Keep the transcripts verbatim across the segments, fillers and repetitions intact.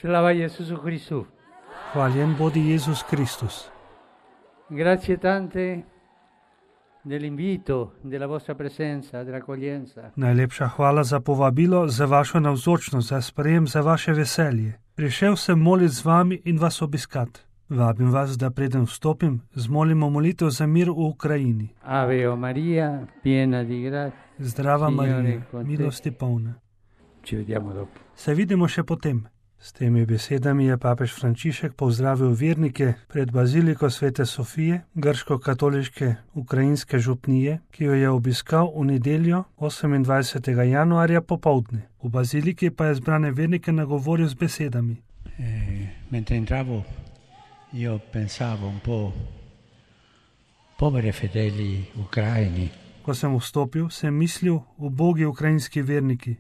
Slava Isusu Christu. Hvaljen bodi Jezus Kristus. Grazie tante dell'invito, della vostra presenza, dell'accoglienza. Najlepša hvala za povabilo, za vašo navzočnost, za sprejem, za vaše veselje. Prišel sem moliti z vami in vas obiskat. Vabim vas, da preden vstopim, zmolimo molitev za mir v Ukrajini. Ave o Maria, piena di grazia. Zdrava Marija, milosti polna. Ci vediamo dopo. Se vidimo še potem. S temi besedami je papež Frančišek pozdravil vernike pred baziliko Svete Sofije, grško-katoliške ukrajinske župnije, ki jo je obiskal v nedeljo osemindvajsetega januarja popoldne. V baziliki pa je zbrane vernike nagovoril z besedami. Eh, mentre entravo, io pensavo un po' poveri fedeli ucraini. Ko sem vstopil, sem mislil ubogi ukrajinski verniki,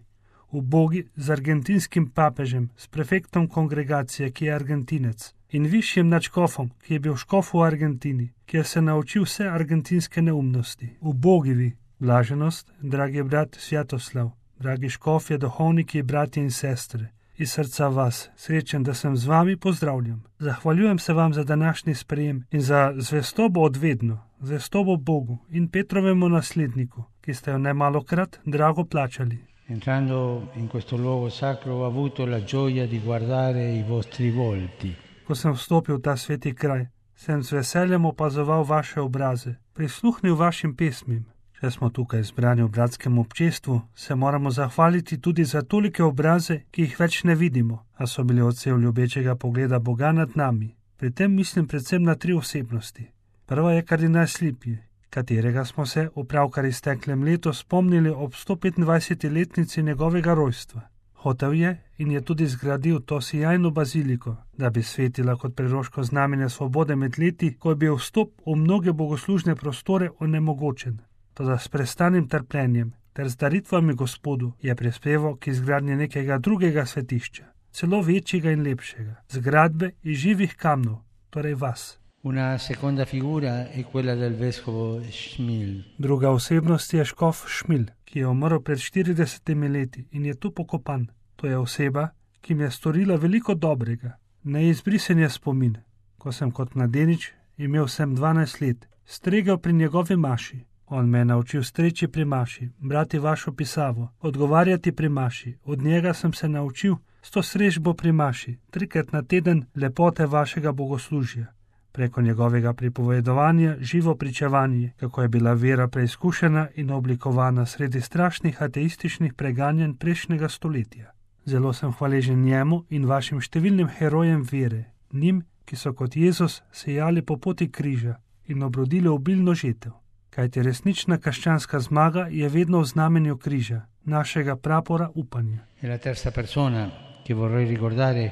ubogi z argentinskim papežem, s prefektom kongregacije, ki je Argentinec, in višjim nadškofom, ki je bil škof v Argentini, kjer se naučil vse argentinske neumnosti. Ubogi vi, blaženost, dragi brat Svjatoslav, dragi škofje, duhovniki, bratje in sestre. Iz srca vas, srečen, da sem z vami, pozdravljam. Zahvaljujem se vam za današnji sprejem in za zvestobo odvedno, zvestobo Bogu in Petrovemu nasledniku, ki ste jo nemalokrat drago plačali. Entrando in questo luogo sacro ho avuto la gioia di guardare i vostri volti. Ko sem vstopil v ta sveti kraj, sem z veseljem opazoval vaše obraze, prisluhnil vašim pesmim. Če smo tukaj zbrani v bratskem občestvu, se moramo zahvaliti tudi za tolike obraze, ki jih več ne vidimo, a so bili odsev ljubečega pogleda Boga nad nami. Pri tem mislim predvsem na tri osebnosti. Prva je kardinal Slipje, katerega smo se v pravkar izteklem letu spomnili ob sto petindvajseti-letnici njegovega rojstva. Hotel je in je tudi zgradil to sijajno baziliko, da bi svetila kot preroško znamenje svobode med leti, ko je bil vstop v mnoge bogoslužne prostore onemogočen. Toda s prestanim trpljenjem ter z daritvami Gospodu je prispeval k izgradnji nekega drugega svetišča, celo večjega in lepšega, zgradbe iz živih kamnov, torej vas. Una seconda figura è quella del vescovo Šmil. Druga osebnost je škof Šmil, ki je umrl pred štiridesetimi leti in je tu pokopan. To je oseba, ki mi je storila veliko dobrega. Neizbrisen je spomin, ko sem kot mladenič, imel sem dvanajst let, stregel pri njegovi maši. On me je naučil streči pri maši, brati vašo pisavo, odgovarjati pri maši. Od njega sem se naučil sto srežbo pri maši, trikrat na teden lepote vašega bogoslužja. Preko njegovega pripovedovanja živo pričevanje, kako je bila vera preizkušena in oblikovana sredi strašnih ateističnih preganjanj prejšnjega stoletja. Zelo sem hvaležen njemu in vašim številnim herojem vere, njim, ki so kot Jezus sejali po poti križa in obrodili obilno žetev. Kajti resnična krščanska zmaga je vedno v znamenju križa, našega prapora upanja. E la terza persona che vorrei ricordare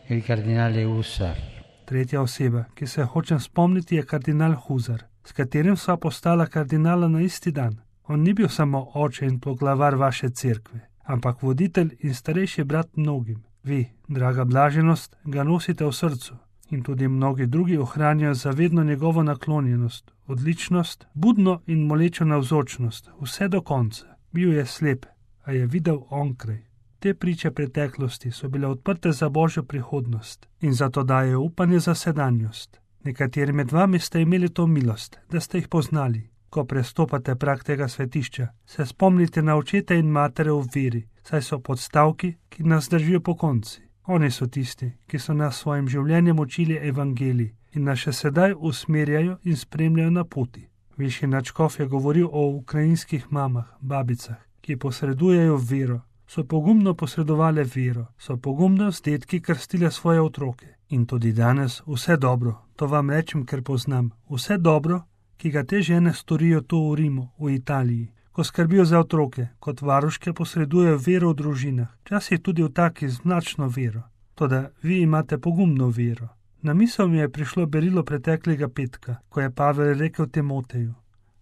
è il cardinale Husar. Tretja oseba, ki se hočem spomniti, je kardinal Huzar, s katerim sva postala kardinala na isti dan. On ni bil samo oče in poglavar vaše cerkve, ampak voditelj in starejši brat mnogim. Vi, draga blaženost, ga nosite v srcu in tudi mnogi drugi ohranjajo zavedno njegovo naklonjenost, odličnost, budno in molečo navzočnost, vse do konca. Bil je slep, a je videl onkraj. Te priče preteklosti so bile odprte za božjo prihodnost in zato daje upanje za sedanjost. Nekateri med vami ste imeli to milost, da ste jih poznali. Ko prestopate prag tega svetišča, se spomnite na očete in matere v veri, saj so podstavki, ki nas držijo po konci. Oni so tisti, ki so nas svojim življenjem učili evangelij in nas še sedaj usmerjajo in spremljajo na poti. Višji nadškof je govoril o ukrajinskih mamah, babicah, ki posredujejo vero. So pogumno posredovale vero, so pogumno z dedki krstile svoje otroke. In tudi danes vse dobro, to vam rečem, ker poznam, vse dobro, ki ga te žene storijo tu v Rimu, v Italiji, ko skrbijo za otroke, kot varuške posredujejo vero v družinah, včasih tudi v taki značno vero. Toda vi imate pogumno vero. Na misel mi je prišlo berilo preteklega petka, ko je Pavel rekel Timoteju: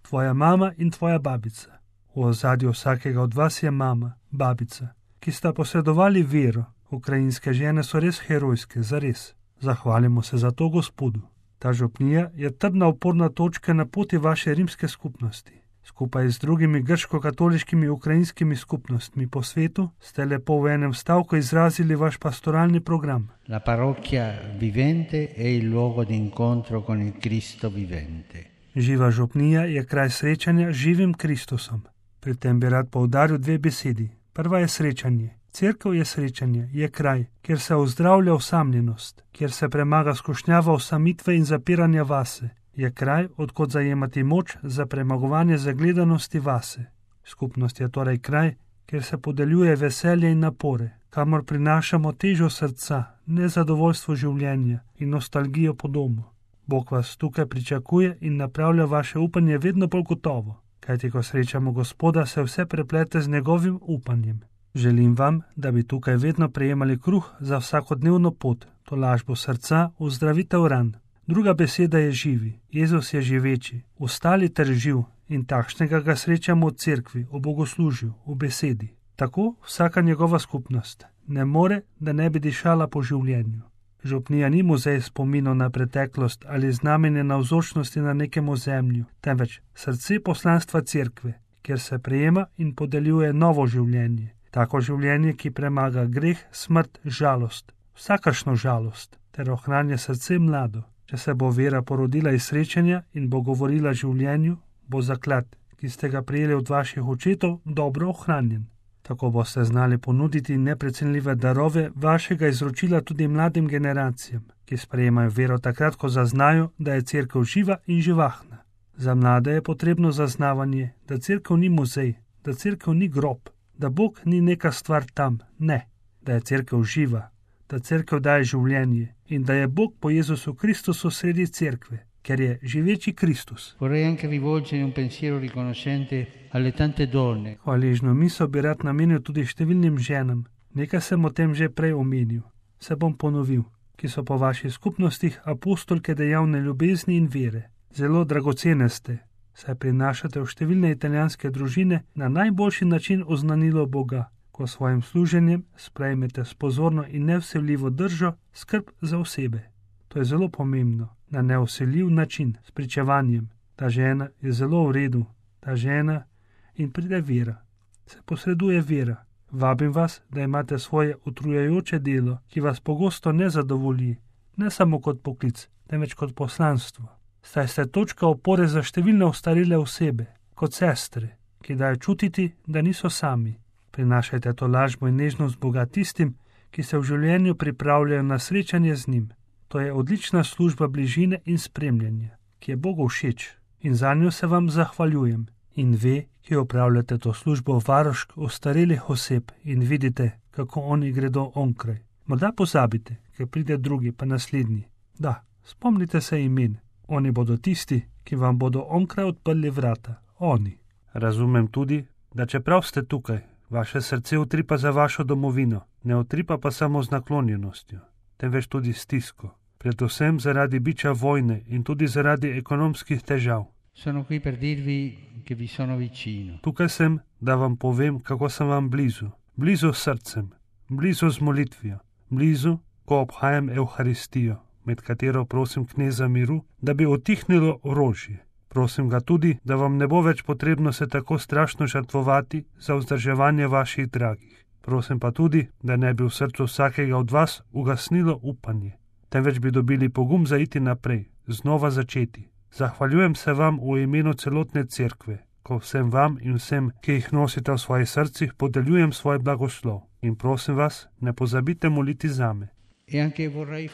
tvoja mama in tvoja babica. V ozadju vsakega od vas je mama, babica, ki sta posredovali vero. Ukrajinske žene so res herojske, zares. Zahvalimo se za to Gospodu. Ta župnija je trdna oporna točka na poti vaše rimske skupnosti. Skupaj z drugimi grško-katoliškimi ukrajinskimi skupnostmi po svetu ste lepo v enem stavku izrazili vaš pastoralni program. La parrocchia vivente è il luogo di incontro con il Cristo vivente. Živa župnija je kraj srečanja z živim Kristusom. Pri tem bi rad poudaril dve besedi. Prva je srečanje. Cerkev je srečanje, je kraj, kjer se ozdravlja osamljenost, kjer se premaga skušnjava osamitve in zapiranja vase. Je kraj, odkot zajemati moč za premagovanje zagledanosti vase. Skupnost je torej kraj, kjer se podeljuje veselje in napore, kamor prinašamo težo srca, nezadovoljstvo življenja in nostalgijo po domu. Bog vas tukaj pričakuje in napravlja vaše upanje vedno bolj gotovo, kajti ko srečamo Gospoda, se vse preplete z njegovim upanjem. Želim vam, da bi tukaj vedno prejemali kruh za vsakodnevno pot, tolažbo srca, ozdravitev ran. Druga beseda je živi. Jezus je živeči, ostali ter živ in takšnega ga srečamo v cerkvi, v bogoslužju, v besedi. Tako vsaka njegova skupnost ne more, da ne bi dišala po življenju. Župnija ni muzej spominov na preteklost ali znamenje navzočnosti na nekem ozemlju, temveč srce poslanstva cerkve, kjer se prejema in podeljuje novo življenje. Tako življenje, ki premaga greh, smrt, žalost, vsakašno žalost, ter ohranja srce mlado. Če se bo vera porodila iz srečanja in bo govorila življenju, bo zaklad, ki ste ga prijeli od vaših očetov, dobro ohranjen. Tako boste znali ponuditi neprecenljive darove vašega izročila tudi mladim generacijam, ki sprejemajo vero takrat, ko zaznajo, da je cerkev živa in živahna. Za mlade je potrebno zaznavanje, da cerkev ni muzej, da cerkev ni grob, da Bog ni neka stvar tam, ne, da je cerkev živa, da cerkev daje življenje in da je Bog po Jezusu Kristusu sredi cerkve, ker je živeči Kristus. Vorrei anche rivolgere un pensiero riconoscente alle tante donne. Hvaležno misel bi rad namenil tudi številnim ženam. Nekaj sem o tem že prej omenil. Se bom ponovil, ki so po vaših skupnostih apostolke dejavne ljubezni in vere. Zelo dragocene ste, saj prinašate v številne italijanske družine na najboljši način oznanilo Boga, ko svojim služenjem sprejmete s pozorno in nevsiljivo držo skrb za osebe. To je zelo pomembno, na nevsiljiv način, s pričevanjem. Ta žena je zelo v redu, ta žena in pride vera. Se posreduje vera. Vabim vas, da imate svoje utrujajoče delo, ki vas pogosto ne zadovolji, ne samo kot poklic, temveč kot poslanstvo. Saj ste točka opore za številne ostarele osebe, kot sestre, ki dajo čutiti, da niso sami. Prinašajte to lažbo in nežnost Boga tistim, ki se v življenju pripravljajo na srečanje z njim. To je odlična služba bližine in spremljanja, ki je Bogu všeč in za njo se vam zahvaljujem. In ve, ki opravljate to službo varušk ostarelih oseb in vidite, kako oni gredo onkraj. Morda pozabite, ker pride drugi pa naslednji. Da, spomnite se imen. Oni bodo tisti, ki vam bodo onkraj odprli vrata. Oni. Razumem tudi, da čeprav ste tukaj, vaše srce utripa za vašo domovino, ne utripa pa samo z naklonjenostjo, temveč tudi stisko. Predvsem zaradi biča vojne in tudi zaradi ekonomskih težav. Sono qui per dirvi che vi sono vicino. Tukaj sem, da vam povem, kako sem vam blizu. Blizu s srcem, blizu z molitvijo, blizu, ko obhajam Evharistijo, med katero prosim kneza miru, da bi utihnilo orožje. Prosim ga tudi, da vam ne bo več potrebno se tako strašno žrtvovati za vzdrževanje vaših dragih. Prosim pa tudi, da ne bi v srcu vsakega od vas ugasnilo upanje, temveč bi dobili pogum za iti naprej, znova začeti. Zahvaljujem se vam v imenu celotne cerkve, ko vsem vam in vsem, ki jih nosite v svojih srcih, podeljujem svoj blagoslov. In prosim vas, ne pozabite moliti zame. E anche vorrei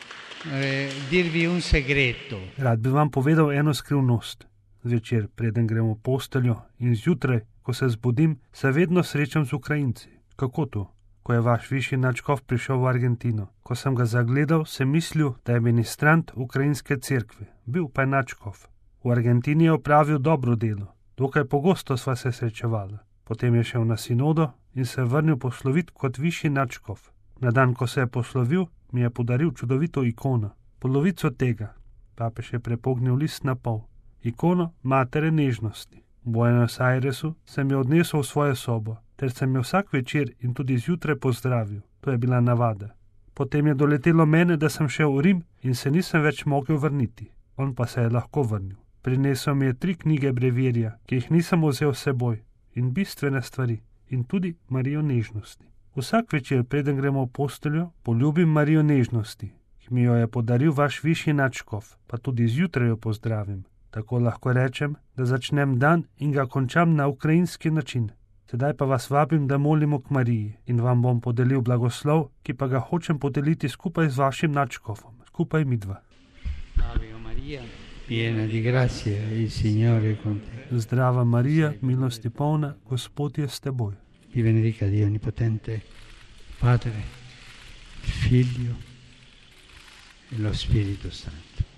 eh, dirvi un segreto. Rad bi vam povedal eno skrivnost. Zvečer, preden grem v posteljo in zjutraj, ko se zbudim, se vedno srečam z Ukrajinci. Kako to? Ko je vaš višji nadškof prišel v Argentino. Ko sem ga zagledal, sem mislil, da je ministrant ukrajinske cerkve. Bil pa je nadškof. V Argentini je opravil dobro delo. Dokaj pogosto sva se srečevala. Potem je šel na sinodo in se vrnil poslovit kot višji nadškof. Na dan, ko se je poslovil, mi je podaril čudovito ikono. Polovico tega. Papež je prepognil list na pol. Ikono Matere nežnosti. V Buenos Airesu sem jo odnesel v svojo sobo, ter sem jo vsak večer in tudi zjutraj pozdravil. To je bila navada. Potem je doletelo mene, da sem šel v Rim in se nisem več mogel vrniti. On pa se je lahko vrnil. Prinesel mi je tri knjige brevirja, ki jih nisem vzel s seboj, in bistvene stvari, in tudi Marijo nežnosti. Vsak večer, preden gremo v posteljo, poljubim Marijo nežnosti, ki mi jo je podaril vaš višji nadškof, pa tudi zjutraj jo pozdravim. Tako lahko rečem, da začnem dan in ga končam na ukrajinski način. Sedaj pa vas vabim, da molimo k Mariji in vam bom podelil blagoslov, ki pa ga hočem podeliti skupaj z vašim nadškofom, skupaj midva. Ave Maria, piena di grazia, il Signore è con te. Zdrava Marija, milosti polna, Gospod je s teboj. Vi benedica Dio Onnipotente, Padre, Figlio e lo Spirito Santo.